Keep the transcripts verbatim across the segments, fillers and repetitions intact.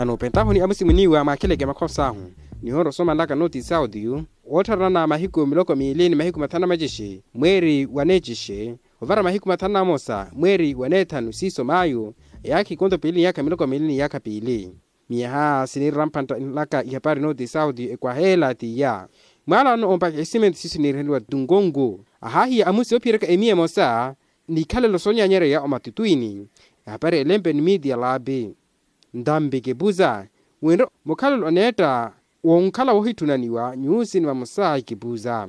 Anoopentahu ni amusi mwiniwa mwaakheleke makhos'ahu, nihoora osomanlaka nooti sauti. Woottharana mahiku miloko miili ni mahiku mathanu na macixe mweeri wa neecixe, ovara mahiku mathanu na mosa mweeri wa neethanu siiso maayu, eyaakha ikonto piili ni yaakha miloko miili ni yaakha piili. Miyaha siniira mphantta nlaka ihapari nooti sauti ekwaheela t'iya. Mwaalano ompakha esimenti siiso niirihaniwa tungongu, ahaahiya amusi oophiyeraka emiya emosa n'ikhalelo soonyanyereya omatutwini. Ehapari elempe ni miiti ya laapi. Ntambi kipuza, winre mukhalelo oneetta wonkhala woohitthunaniwa nyuusi ni vamosa kipuza.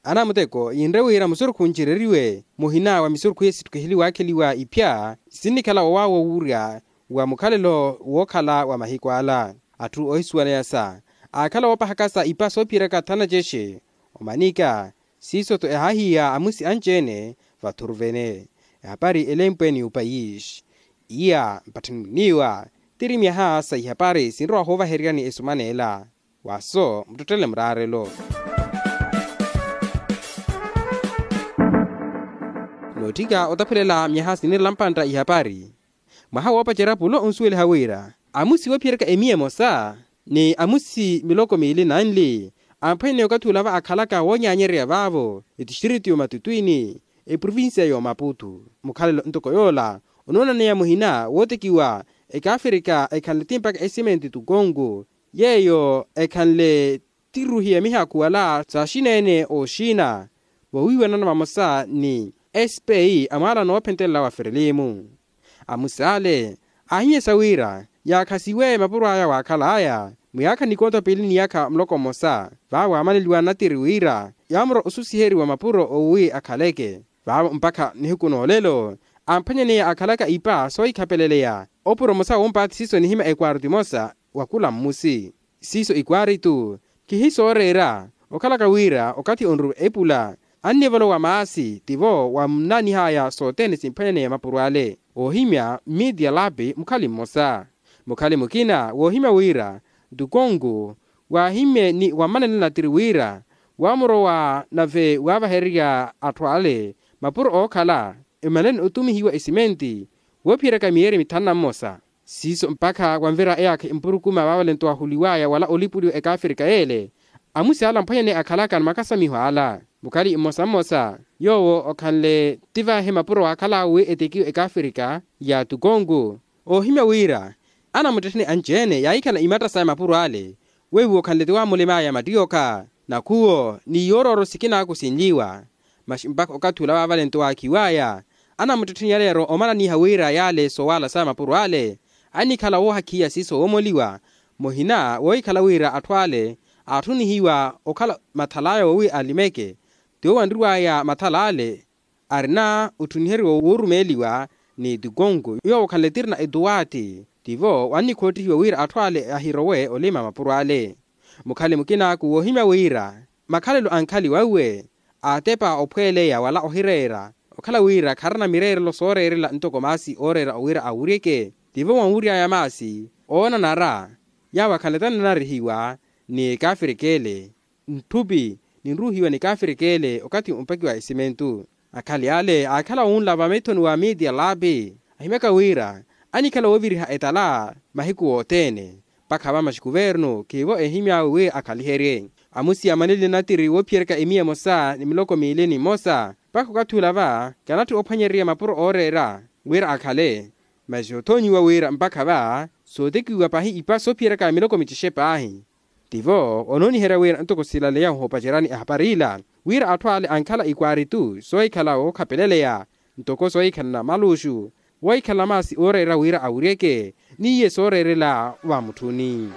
Anamuteko yinre wira musurukhu ncireriwe muhina wa misurukhu iye sittukhiheliwa akheliwa iphya, sinnikhala wowaawo wuurya wa mukhalelo wookhala wa mahiku ala. Atthu oohisuwaneyasa aakhala woopahakasa ipa soophiyeraka thanu na cexe omanika. Siiso-tho ehaahiya amusi anci-ene vathuruvene. Ehapari elempwe ni opayishi iya mpatthani mwiniwa, tiri myaha sa ihapari sinrowa hoovahereryani esuman'ela. Waso muttottele muraarelo. Nootthika otaphelela myaha siniirela mpantta ihapari. Mwaha woopacerya pulo onsuweliha wira amusi woophiyeraka emiya emosa ni amusi miloko miili nanli, amphwanyane okathi olava akhalaka woonyanyereya vaavo etistritu y'omatutwini, eprovincia y'omaputu. Mukhalelo ntoko yoola onoonaneya muhina wootekiwa ekaafrika ekhanle ti mpakha esimenti tukonku, yeeyo ekhanle ti ruhi ya mihakhu wala saaxina-ene ooxina, voowiiwanana vamosa ni spi a mwaalano woophentelela wa frelimu. Amusi ale aahimyesa wira yaakhasiwe mapuro aya waakhal'aya muyaakha nikontho piili ni yaakha muloko mmosa, vaavo waamaneliwa natiri wira yaamurwa osusiheriwa mapuro owi akhaleke. Vaavo mpakha nihiku n'olelo amphwanyaneya akhalaka ipa soohikhapeleleya opuro mmosa woompaathi siiso nihimya ekwaaritu emosa wa khula mmusi. Siiso ikwaaritu khihisooreera okhalaka wira okathi onruwe epula annivolowa maasi tivo wamnanihaya sothene simphwanyaneya mapuro ale. Oohimya mmiiti ya laapi mukhali mmosa, mukhali mukina woohimya wira ntukonku waahimmye ni wammanenela tiri wira waamurowa nave waavahererya atthu ale mapuro ookhala emaleni otumihiwa esimenti woophiyeryaka miyeeri mithanu na mmosa. Siiso mpakha wanvira eyaakha empurukuma vaavalento waahuliwaya wala olipuliwa ekaafrika yeele amusi ala amphwanyane akhalaka ni makasamiho ala. Mukhali mmosa mmosa yoowo okhanle ti vaahi mapuro waakhal'awe wi etekiwe ekaafrika ya tukonku. Oohimya wira anamuttettheni anci-ene yaahikhala imatta saya mapuro ale weiwo okhanle ti waamulim'aya mattiyoka nakhuwo ni yoorooro sikinaaku sinliwa. Masi mpakha okathi ula vaavalento waakhiw'aya anamuttettheni yaleero omananiha wira yale soowaala saya mapuro ale annikhala woohakhiya siiso woomoliwa muhina woohikhala wira atthu ale aatthunihiwa okhala mathal'aya wowi alimeke. Tiwo wanriw'aya mathal'ale arina ottuniheryiwa woorumeeliwa ni tukonku yoowo okhanle tirina etuwaati tivo wannikhoottihiwa wira atthu ale ahirowe olima mapuro ale. Mukhale mukinaaku woohimya wira makhalelo a nkhali wauwe aatepa ophweleya wala ohireera okhala wira kharina mireerelo sooreerela ntoko maasi ooreera wira awuryeke tivo wanwury'aya maasi oonanara yaawo akhanle tananarihiwa ni kaafirikele ntthupi ninruuhiwa ni kaafirikele okathi ompakiwa esimentu. Akhali ale aakhala wunla vamethoni wa miiti ya laapi ahimyaka wira annikhala wooviriha etala mahiku wothene mpakha vamaxi kuvernu khiivo eehimy'awe wi akhaliherye. Amusi amaneliye natiri woophiyeryaka emiya emosa ni miloko miili ni mmosa mpakha okathi ula va kanatthi ophwanyererya mapuro ooreera wira akhale. Masi othonyiwa wira mpakha va sootekiwa paahi ipa soophiyeryaka miloko micexe paahi. Tivo onooniherya wira ntoko silaleya ohoopaceryani ehapari ila wira atthu ale ankhala ikwaaritu soohikhala wookhapeleleya ntoko soohikhalana maluxu woohikhalana maasi ooreera wira awuryeke n'iye sooreerela vamutthuni.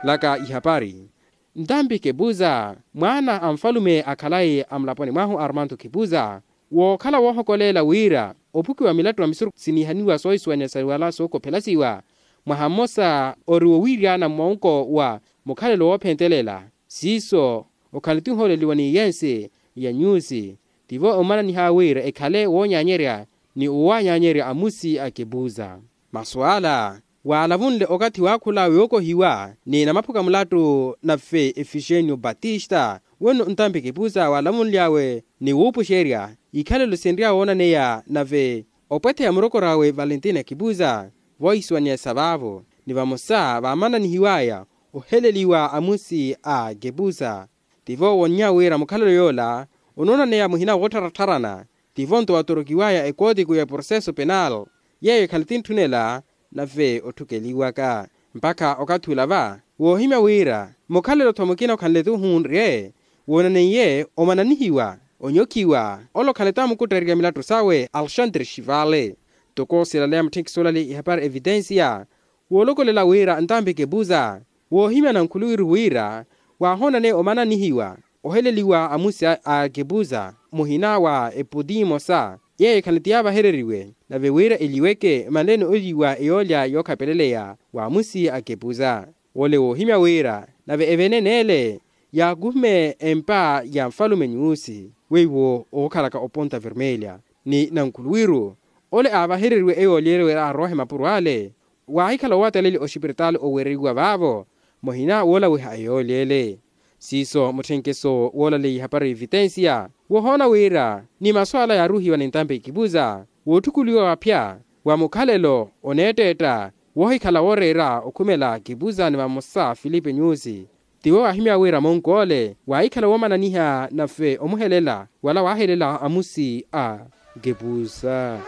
Laka ihapari. Ntampi kepuza mwaana a nfalume akhalayi a mulaponi mwahu armanto kepuza wookhala woohokoleela wira ophukiwa milattu na misurukhu siniihaniwa soohisuwanya sa wala sookophelasiwa mwaha mmosa ori wowiiryana mmonko wa mukhalelo woophentelela siiso okhala ti ohooleliwa ni yensi ya nyusi tivo omananiha wira ekhale woonyaanyerya ni owaanyaanyerya amusi a kepuza. Masu ala waalavunle okathi waakhula yookohiwa ni namaphuka mulattu nave efixenio batista wenno ntampi kipuza waalavunly'awe ni wuupuxerya ikhalelo sinrya woonaneya nave opwetheya murokor'awe valentina kipuza Vohisiwaniyasa vaavo ni vamosa vaamananihiwaya oheleliwa amusi a kepusa. Tivo wonnya wira mukhalelo yoola onoonaneya muhina woottarattharana. Tivo nto watorokiwaya ekootiku ya processo penal yeeyo ekhale tintthunela nave otthukeliwaka mpakha okathi ula va woohimya wira mukhalelo-tho mukina okhanle-tu ohunrye woonaneiye omananihiwa onyokhiwa ole okhanle-tu amukuttarerya milattu sawe alexandre xivale. Toko silaleya mutthenkisi olaleya ihapari evitensiya woolokolela wira ntampi kepuza woohimya nankhuluwiru wira waahoonane omananihiwa oheleliwa amusi a kepuza muhina wa eputi emosa yeeyo ekhale-tu yaavahereriwe nave wira eliweke manleni oliwa eyoolya yookhapeleleya wa amusi a kepuza. Wole woohimya wira nave evenene ele yaakuhume empa ya nfalume nyuusi weiwo ookhalaka oponta vermelya ni nankhuluwiru ole aavahereriwe eyoolya ele wira aroohe mapuro ale waahikhala owataleli oxipiritali owereiwa vaavo muhina woolawiha eyoolya ele. Siiso mutthenkeso woolaleya ihapari vitensiya wohoona wira ni masu ala yaaruhiwa ni ntampi kipuza wootthukuliwa waphya wa mukhalelo oneetteetta woohikhala wooreera okhumela kipuza ni vamosa filipe nyuusi. Tiwo waahimya wira monkoole waahikhala woomananiha nave omuhelela wala waahelela amusi a kepusa.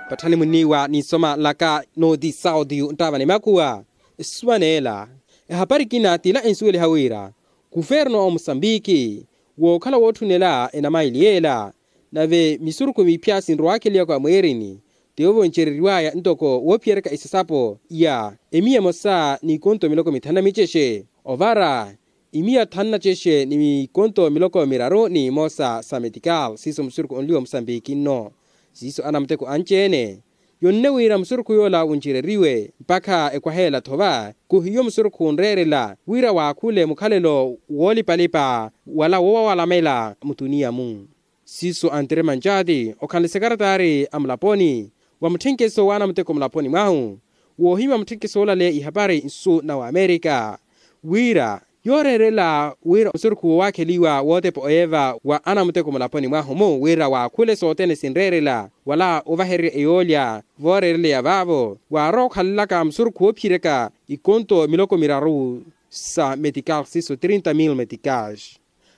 Patthani munniiwa ninsoma nlaka nooti sautiyu nttaava ni makuwa. Esuwa neela ehapari ekina t'ila ensuweliha wira kuverno a omusambiki wookhala wootthunela enamaili yeela nave misurukhu miphya sinrowakheliwaka mweerini. Tivo voncereriwaya ntoko woophiyeryaka isasapo ya emiya emosa n'ikonto miloko mithanu na micexe ovara imiya thanu na cexe ni mikonto miloko miraru n'imosa sa metikal siiso musurukhu onliwa omusambiki nno. Siiso anamuteko anci-ene yonne wira musurukhu yoola wuncereriwe mpakha ekwaheela thova kuhiyo musurukhu onreerela wira waakhule mukhalelo woolipalipa wala woowawalamela mutuniya-mu. Siiso antere mancaati okhanle sekaratari a mulaponi wa mutthenkeso w'anamuteko mulaponi mwahu woohimya mutthenkeso woolaleya ihapari nsu na waamerika wira yooreerela wira musurukhu woowakheliwa wootepa oyeeva wa anamuteko mulaponi mwahu-mu wira waakhule sothene sinreerela wala ovahererya eyoolya vooreereleya vaavo waarowa okhalelaka musurukhu woophiyeryaka ikonto miloko miraru sa metikal siiso trinta mil metikal.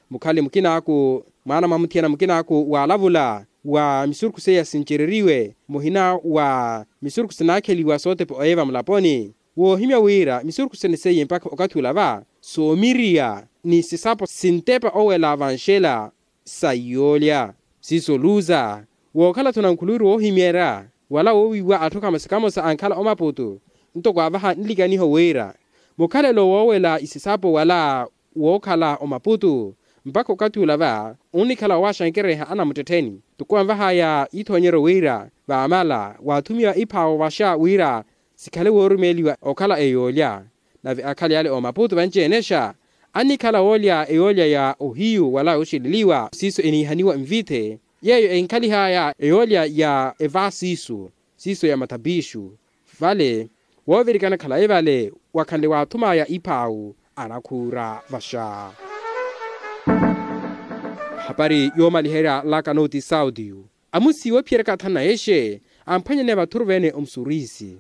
Mukhali mukinaaku mwaana mwa muthiyana mukinaaku waalavula wa misurukhu seiya sincereriwe muhina wa misurukhu sinaakheliwa sootepa oyeeva mulaponi woohimya wira misurukhu sene seiye mpakha okathi ula va soomiriya ni sisapo sintepa owela vanxela sa iyoolya. Siiso luza wookhala-tho nankhuluwiru woohimyerya wala woowiiwa atthu kamosa kamosa ankhala omaputu ntoko avaha nlikaniho wira mukhalelo woowela isisapo wala wookhala omaputu mpakha okathi ula va onnikhala woowaxankereha anamuttettheni toko anvahaya ithoonyeryo wira vaamala waathumiwa iphaawo vaxa wira sikhale woorumeeliwa okhala eyoolya. Nave akhali ale omaputu vanci-enexa annikhala woolya eyoolya ya ohiyu wala yooxeleliwa siiso eniihaniwa nvithe yeeyo enkhalihaya eyoolya ya evaasiisu siiso ya mathapiixu vale woovirikana khalayi vale wakhanle waathumaya iphaawu anakhuura vaxa. Hapari yoomaliherya laka nooti sautiyu amusi woophiyeryaka athana exe amphwanyaneya vathuru veene omusuriisi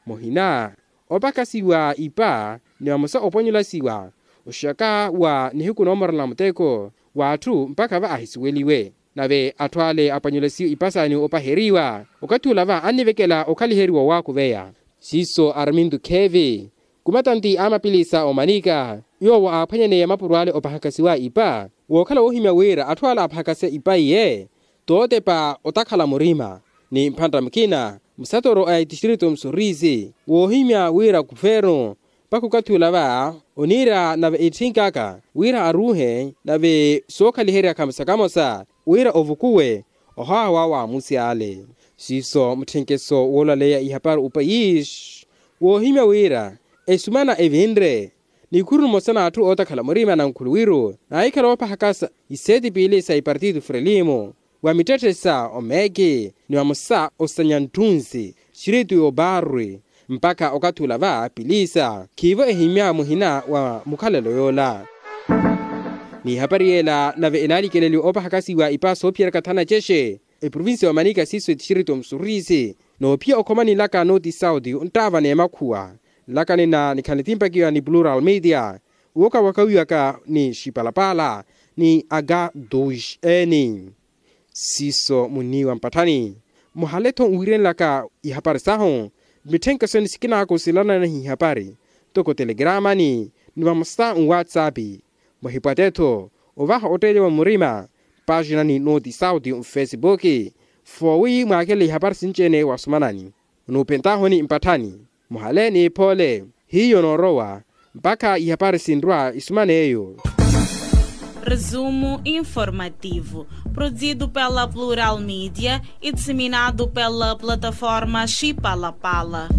muhina opakasiwa ipa ni vamosa opwanyulasiwa oxaka wa nihiku noomorela muteko w'atthu mpakha va ahisuweliwe. Nave atthu ale apwanyulasiwe ipa saani opaheriwa okathi ula va annivekela okhaliheriwa owaakuveya siiso arminto khevi kumatanti a mapilisa omanika yoowo aaphwanyaneya mapuro ale opahakasiwa ipa wookhala woohimya wira atthu ale aphakase ipa iye tootepa otakhala murima ni mphantta mukina musatoro a etistritu musuriisi woohimya wira kuvernu mpakha okathi ula va oniira nave etthinkaka wira aruuhe nave sookhaliherya kamosa kamosa wira ovukuwe ohawa wa waamusi ale. Siiso mutthenkeso woolaleya ihapari opayisi woohimya wira esumana evinre nikhuru nimosa n'atthu ootakhala murima nankhuluwiru naahikhala oopahakasa iseeti piili sa ipartito frelimo wa mittetthe sa omeki ni vamosa osanya ntthunsi xiritu y'oparwi mpakha okathi ula va pilisa khiivo ehimya muhina wa mukhalelo yoola. N'ihapari yeela nave enaalikeleliwa oopahakasiwa ipa soophiyeryaka thana cexe eprovincia wa manika siiso etistrito musuriisi, noophiya okhomani nlaka noti sauti onttaavana emakhuwa. Nlakani na nikhanle timpakiwa ni plural media, wooka wakawiwaka ni xipalapala ni aga duis n siiso munniiwa mpatthani. Muhale-tho nwiirenlaka ihapari sahu, mitthenke sene sikinaaku silanana ihapari, toko telegramani ni vamosa nwatsapi. Muhipwatte-tho ovaha otteelya wa murima, paaxinani noti sauti nfesipuki, foowi mwaakele ihapari sinci-ene wasumanani. Onuupentahuni mpatthani, muhale ni ephoole. Hiyo noorowa mpakha ihapari sinrwa isuman'eyo. Resumo informativo, produzido pela Plural Media e disseminado pela plataforma Chipalapala.